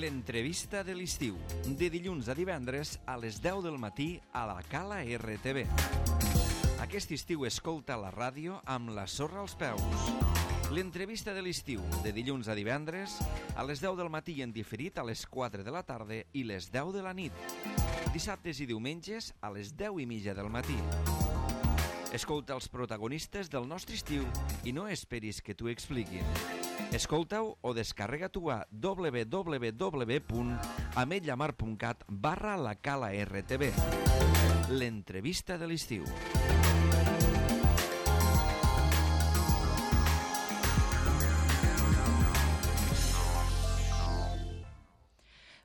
L'entrevista de l'estiu, de dilluns a divendres a les 10 del matí a la Cala RTV. Aquest estiu escolta la ràdio amb la sorra als peus. L'entrevista de l'estiu, de dilluns a divendres a les 10 del matí i en diferit a les 4 de la tarda i les 10 de la nit. Dissabtes i diumenges a les 10:30 del matí. Escolta els protagonistes del nostre estiu i no esperis que t'ho expliquin. Escolta-ho o descarrega-t'ho a www.ametlllamar.cat/la Cala RTV. L'entrevista de l'estiu.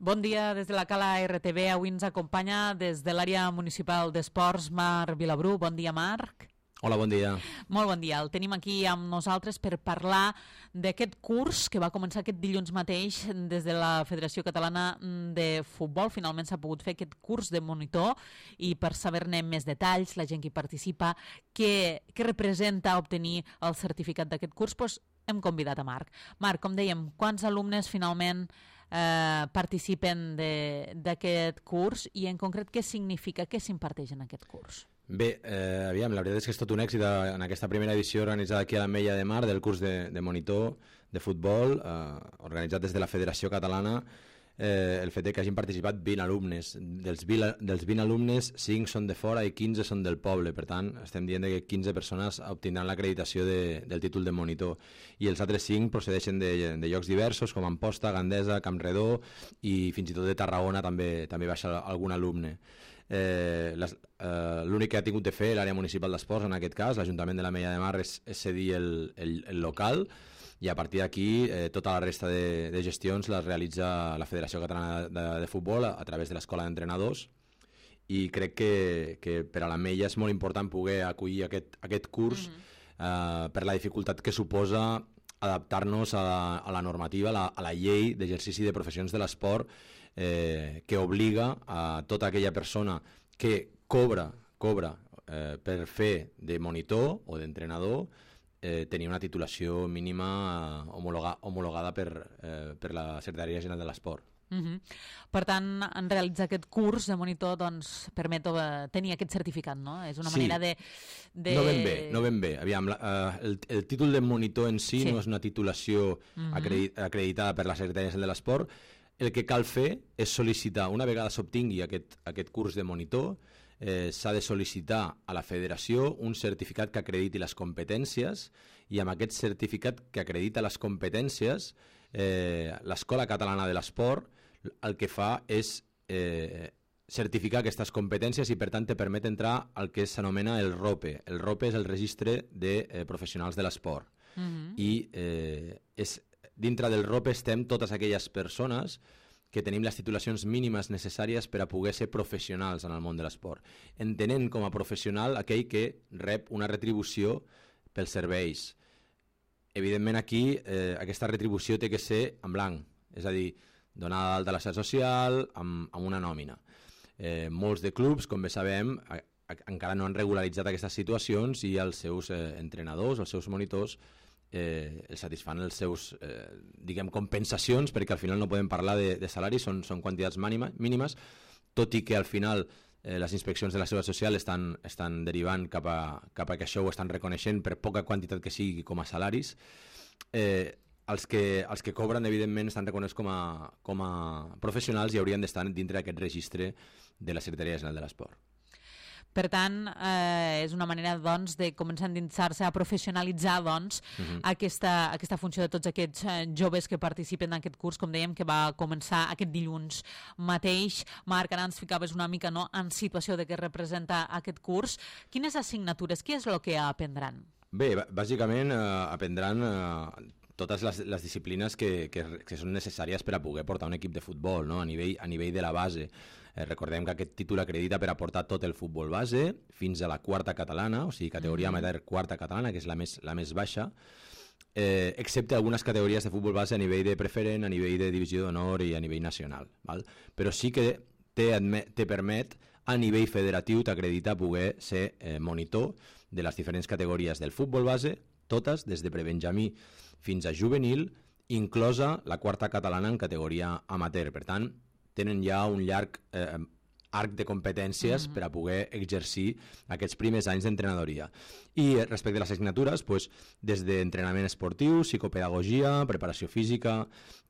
Bon dia des de la Cala RTV. Avui ens acompanya des de l'àrea municipal d'esports Marc Vilabrú. Bon dia, Marc. Hola, bon dia. Molt bon dia. El tenim aquí amb nosaltres per parlar d'aquest curs que va començar aquest dilluns mateix des de la Federació Catalana de Futbol. Finalment s'ha pogut fer aquest curs de monitor i per saber-ne més detalls, la gent que hi participa, què representa obtenir el certificat d'aquest curs, doncs hem convidat a Marc. Marc, com dèiem, quants alumnes finalment participen d'aquest curs i en concret què significa, què s'imparteix en aquest curs? Bé, aviam, la veritat és que és tot un èxit en aquesta primera edició organitzada aquí a l'Ametlla de Mar del curs de monitor de futbol, organitzat des de la Federació Catalana. El fet que hagin participat 20 alumnes. Dels 20 alumnes, 5 són de fora i 15 són del poble. Per tant, estem dient que 15 persones obtindran l'acreditació del títol de monitor. I els altres 5 procedeixen de llocs diversos, com Amposta, Gandesa, Campredó i fins i tot de Tarragona també baixa algun alumne. L'únic que ha tingut de fer l'àrea municipal d'esports, en aquest cas, l'Ajuntament de l'Ametlla de Mar, és cedir el local, i a partir d'aquí tota la resta de gestions les realitza la Federació Catalana de Futbol a través de l'Escola d'Entrenadors, i crec que per a l'Ametlla és molt important poder acollir aquest curs per la dificultat que suposa adaptar-nos a la normativa, a la llei d'exercici de professions de l'esport, que obliga a tota aquella persona que cobra per fer de monitor o d'entrenador tenir una titulació mínima homologada per la Secretaria General de l'Esport. Per tant, en realitzar aquest curs de monitor doncs, permet tenir aquest certificat, no? És una manera de... No ben bé. Aviam, el títol de monitor en si no és una titulació acreditada per la Secretaria General de l'Esport. El que cal fer és sol·licitar, una vegada s'obtingui aquest curs de monitor, s'ha de sol·licitar a la federació un certificat que acrediti les competències, i amb aquest certificat que acredita les competències, l'Escola Catalana de l'Esport el que fa és certificar aquestes competències i per tant te permet entrar al que s'anomena el ROPE. El ROPE és el registre de professionals de l'esport. I dintre del ROPE estem totes aquelles persones que tenim les titulacions mínimes necessàries per a poder ser professionals en el món de l'esport, entenent com a professional aquell que rep una retribució pels serveis. Evidentment aquí aquesta retribució té que ser en blanc, és a dir, donada d'alta a la seguretat social amb una nòmina. Molts de clubs, com bé sabem, encara no han regularitzat aquestes situacions i els seus entrenadors, els seus monitors, els satisfan els seus compensacions, perquè al final no podem parlar de salaris, són quantitats mínimes, tot i que al final les inspeccions de la Seguretat Social estan derivant cap a que això ho estan reconeixent per poca quantitat que sigui com a salaris. Els que cobren, evidentment, estan reconeguts com a professionals i haurien d'estar dintre d'aquest registre de la Secretaria General de l'Esport. Per tant, és una manera doncs, de començar a endinsar-se, a professionalitzar doncs, aquesta funció de tots aquests joves que participen en aquest curs, com dèiem, que va començar aquest dilluns mateix. Marc, ara ens ficaves una mica en situació de què representa aquest curs. Quines assignatures, què és el que aprendran? Bé, bàsicament aprendran totes les disciplines que són necessàries per a poder portar un equip de futbol, no? a nivell de la base. Recordem que aquest títol acredita per a portar tot el futbol base fins a la quarta catalana, o sigui, categoria amateur quarta catalana, que és la més baixa, excepte algunes categories de futbol base a nivell de preferent, a nivell de divisió d'honor i a nivell nacional. Val? Però sí que te permet a nivell federatiu t'acredita poder ser monitor de les diferents categories del futbol base, totes, des de prebenjamí fins a juvenil, inclosa la quarta catalana en categoria amateur. Per tant, tenen ja un llarg arc de competències per a poder exercir aquests primers anys d'entrenadoria. I respecte a les assignatures, doncs, des d'entrenament esportiu, psicopedagogia, preparació física,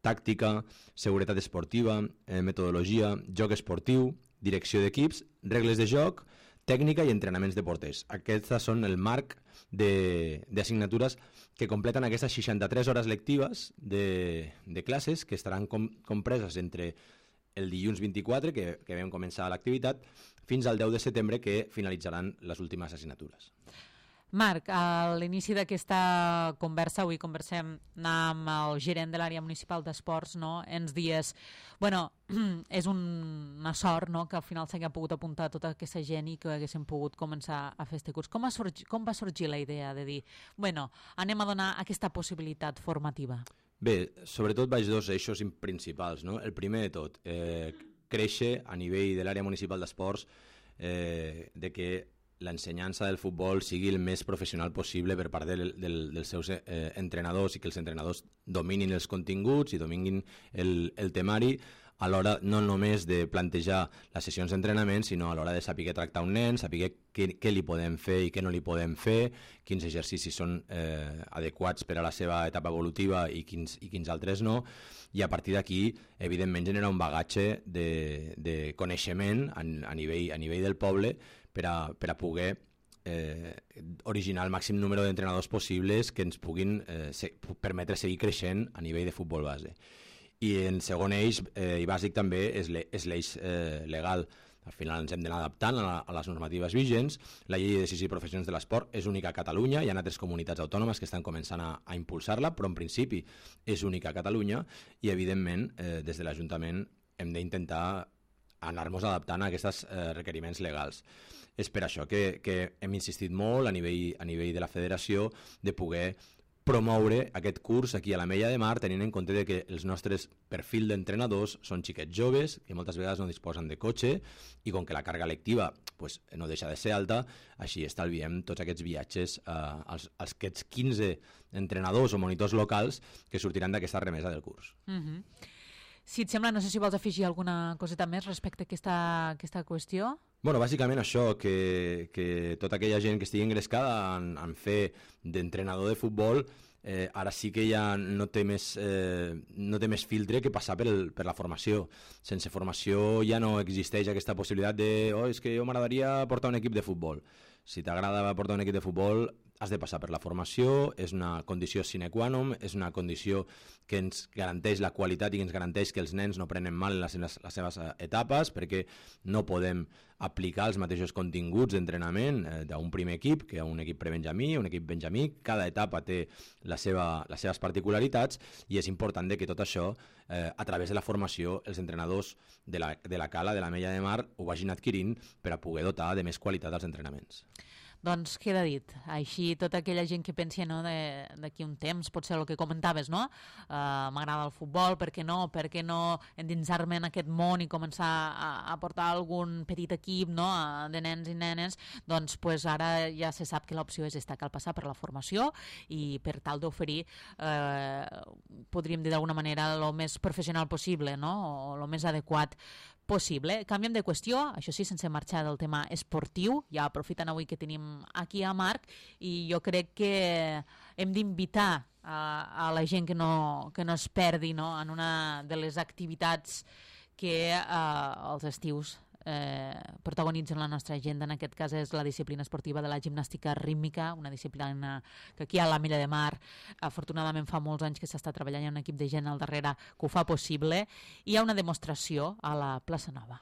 tàctica, seguretat esportiva, metodologia, joc esportiu, direcció d'equips, regles de joc, tècnica i entrenaments de porters. Aquests són el marc d'assignatures que completen aquestes 63 hores lectives de classes que estaran compreses entre el dilluns 24, que vam començar l'activitat, fins al 10 de setembre, que finalitzaran les últimes assignatures. Marc, a l'inici d'aquesta conversa, avui conversem amb el gerent de l'àrea municipal d'esports, no? Ens dies, bueno, és una sort, no?, que al final s'hagi pogut apuntar tota aquesta gent i que haguéssim pogut començar a fer este curs. Com va sorgir la idea de dir, bueno, anem a donar aquesta possibilitat formativa? Bé, sobretot vaig dos eixos principals, no? El primer de tot, créixer a nivell de l'àrea municipal d'esports de que l'ensenyança del futbol sigui el més professional possible per part dels seus entrenadors i que els entrenadors dominin els continguts i dominin el temari a l'hora no només de plantejar les sessions d'entrenament, sinó a l'hora de saber tractar un nen, saber què li podem fer i què no li podem fer, quins exercicis són adequats per a la seva etapa evolutiva i quins altres no, i a partir d'aquí, evidentment, generar un bagatge de coneixement a nivell del poble per a poder originar el màxim número d'entrenadors possibles que ens puguin permetre seguir creixent a nivell de futbol base. I el segon eix, i bàsic també, és l'eix legal. Al final ens hem d'anar adaptant a les normatives vigents. La llei de decisió i professions de l'esport és única a Catalunya, hi ha altres comunitats autònomes que estan començant a impulsar-la, però en principi és única a Catalunya i, evidentment, des de l'Ajuntament hem d'intentar anar-nos adaptant a aquests requeriments legals. És per això que hem insistit molt a nivell de la federació de poder promoure aquest curs aquí a l'Ametlla de Mar, tenint en compte que els nostres perfil d'entrenadors són xiquets joves, que moltes vegades no disposen de cotxe, i com que la càrrega lectiva no deixa de ser alta, així estalviem tots aquests viatges als aquests 15 entrenadors o monitors locals que sortiran d'aquesta remesa del curs. Si et sembla, no sé si vols afegir alguna coseta més respecte a aquesta qüestió. Bueno, bàsicament això, que tota aquella gent que estigui engrescada en fer d'entrenador de futbol ara sí que ja no té més filtre que passar per la formació. Sense formació ja no existeix aquesta possibilitat de és que jo m'agradaria portar un equip de futbol. Si t'agrada portar un equip de futbol has de passar per la formació, és una condició sine qua non, és una condició que ens garanteix la qualitat i que ens garanteix que els nens no prenen mal en les seves etapes, perquè no podem aplicar els mateixos continguts d'entrenament d'un primer equip que un equip prebenjamí, un equip benjamí. Cada etapa té les seves particularitats i és important que tot això, a través de la formació, els entrenadors de la Cala, de l'Ametlla de Mar, ho vagin adquirint per a poder dotar de més qualitat els entrenaments. Doncs queda dit. Així tota aquella gent que pensi d'aquí un temps, pot ser el que comentaves, no? M'agrada el futbol, per què no endinsar-me en aquest món i començar a portar algun petit equip, no?, de nens i nenes, doncs ara ja se sap que l'opció és cal passar per la formació i per tal d'oferir, podríem dir d'alguna manera, el més professional possible, no?, o el més adequat possible. Canviem de qüestió, això sí, sense marxar del tema esportiu, ja aprofitant avui que tenim aquí a Marc, i jo crec que hem d'invitar a la gent que no es perdi, no?, en una de les activitats que els estius protagonitzen la nostra agenda. En aquest cas és la disciplina esportiva de la gimnàstica rítmica, una disciplina que aquí a l'Ametlla de Mar afortunadament fa molts anys que s'està treballant, hi ha un equip de gent al darrere que ho fa possible, i hi ha una demostració a la plaça Nova.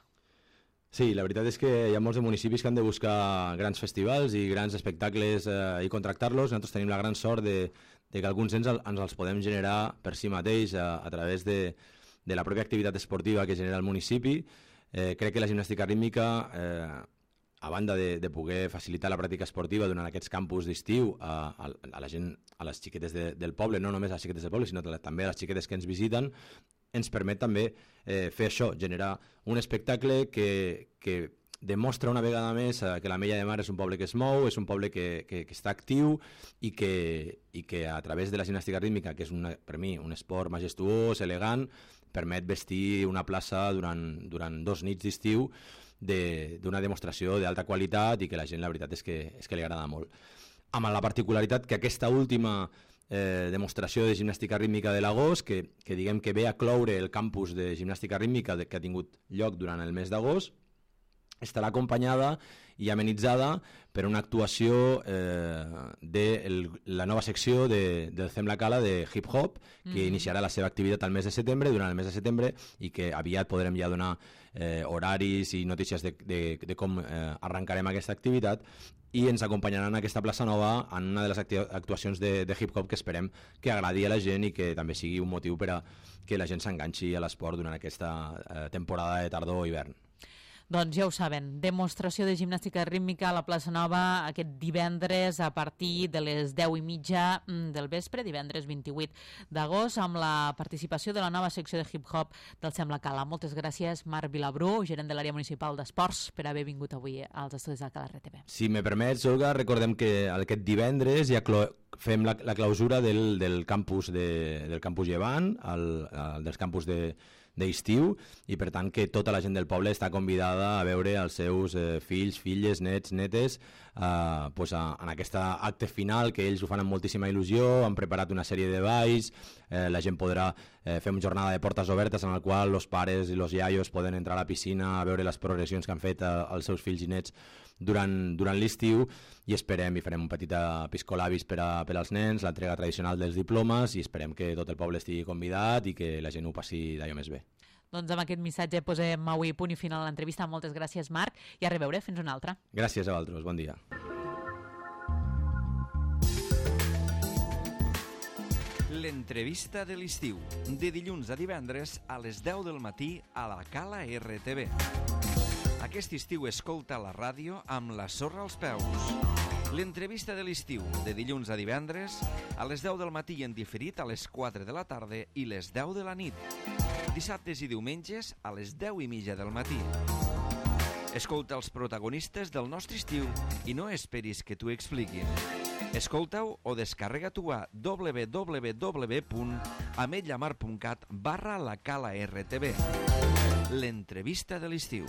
Sí, la veritat és que hi ha molts municipis que han de buscar grans festivals i grans espectacles i contractar-los. Nosaltres tenim la gran sort de que alguns ens els podem generar per si mateix a través de la pròpia activitat esportiva que genera el municipi. Crec que la gimnàstica rítmica, a banda de poder facilitar la pràctica esportiva durant aquests campus d'estiu a la gent, a les xiquetes del poble, no només a les xiquetes del poble, sinó també a les xiquetes que ens visiten, ens permet també fer això, generar un espectacle que demostra una vegada més que l'Ametlla de Mar és un poble que es mou, és un poble que està actiu i que a través de la gimnàstica rítmica, que és per mi un esport majestuós, elegant, permet vestir una plaça durant 2 nits d'estiu d'una demostració d'alta qualitat i que la gent, la veritat, és que li agrada molt. Amb la particularitat que aquesta última demostració de gimnàstica rítmica de l'agost, que diguem que ve a cloure el campus de gimnàstica rítmica que ha tingut lloc durant el mes d'agost, estarà acompanyada i amenitzada per una actuació de la nova secció del Fem la Cala de hip-hop, que iniciarà la seva activitat al mes de setembre, durant el mes de setembre, i que aviat podrem ja donar horaris i notícies de com arrencarem aquesta activitat, i ens acompanyaran a aquesta plaça nova en una de les actuacions de hip-hop que esperem que agradi a la gent i que també sigui un motiu per a que la gent s'enganxi a l'esport durant aquesta temporada de tardor o hivern. Doncs ja ho saben, demostració de gimnàstica rítmica a la plaça Nova aquest divendres a partir de les 10:30 del vespre, divendres 28 d'agost, amb la participació de la nova secció de hip-hop del Fem la Cala. Moltes gràcies, Marc Vilabrú, gerent de l'àrea municipal d'esports, per haver vingut avui als estudis de Cala RTV. Si me permets, Olga, recordem que aquest divendres ja fem la clausura del campus Llevant, dels campus d'estiu, i per tant que tota la gent del poble està convidada a veure els seus fills, filles, nets, netes en aquest acte final, que ells ho fan amb moltíssima il·lusió, han preparat una sèrie de balls, la gent podrà fer una jornada de portes obertes en la qual els pares i els iaios poden entrar a la piscina a veure les progressions que han fet els seus fills i nets durant l'estiu, i esperem i farem un petit piscolabis per als nens, l'entrega tradicional dels diplomes, i esperem que tot el poble estigui convidat i que la gent ho passi d'allò més bé. Doncs amb aquest missatge posem avui punt i final a l'entrevista. Moltes gràcies, Marc, i a reveure. Fins una altra. Gràcies a vosaltres, bon dia. L'entrevista de l'estiu, de dilluns a divendres a les 10 del matí a la Cala RTV. Aquest estiu escolta la ràdio amb la sorra als peus. L'entrevista de l'estiu, de dilluns a divendres, a les 10 del matí i en diferit a les 4 de la tarda i les 10 de la nit. Dissabtes i diumenges a les 10:30 del matí. Escolta els protagonistes del nostre estiu i no esperis que t'ho expliquin. Escolta-ho o descarrega-t'ho a www.ametlamar.cat/la Cala RTV. L'entrevista de l'estiu.